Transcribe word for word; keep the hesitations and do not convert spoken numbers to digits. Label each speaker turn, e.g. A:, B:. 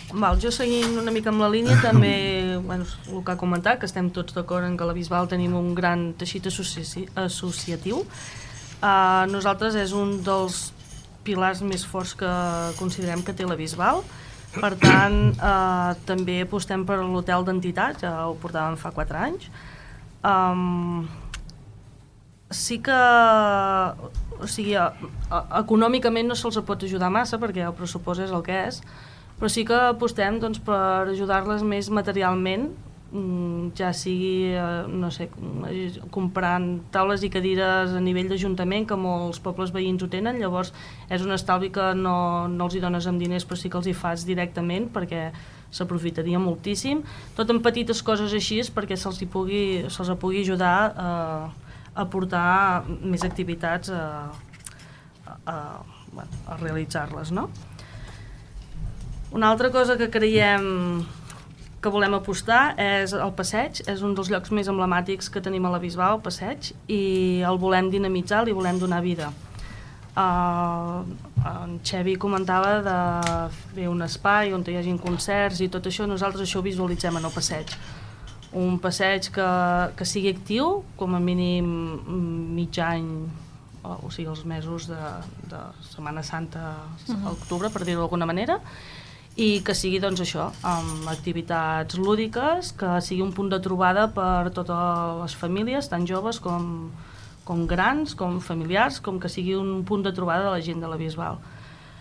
A: Val, jo seguint una mica amb la línia, també, bueno, el que ha comentat, que estem tots d'acord en que a la Bisbal tenim un gran teixit associ associatiu. Uh, nosaltres és un dels pilars més forts que considerem que té la Bisbal. Per tant, uh, també apostem per l'hotel d'entitats, ja ho portàvem fa quatre anys. Um, sí que, o sigui, econòmicament no se'ls pot ajudar massa perquè el pressupost és el que és, però sí que apostem doncs, per ajudar-les més materialment, ja sigui, no sé, comprant taules i cadires a nivell d'Ajuntament, que molts pobles veïns ho tenen, llavors és un estalvi que no, no els hi dones amb diners, però sí que els hi fas directament, perquè s'aprofitaria moltíssim. Tot en petites coses així, perquè se'ls pugui, se'ls pugui ajudar a, a portar més activitats a, a, a, bueno, a realitzar-les, no? Una altra cosa que creiem que volem apostar és el passeig. És un dels llocs més emblemàtics que tenim a la Bisbal, el passeig, i el volem dinamitzar, li volem donar vida. Uh, en Xevi comentava de fer un espai on hi hagi concerts i tot això. Nosaltres això ho visualitzem en el passeig. Un passeig que, que sigui actiu, com a mínim mig any, o sigui els mesos de, de Setmana Santa, uh-huh. octubre, per dir-ho d'alguna manera, i que sigui doncs això, amb activitats lúdiques, que sigui un punt de trobada per totes les famílies, tant joves com, com grans, com familiars, com que sigui un punt de trobada de la gent de la Bisbal.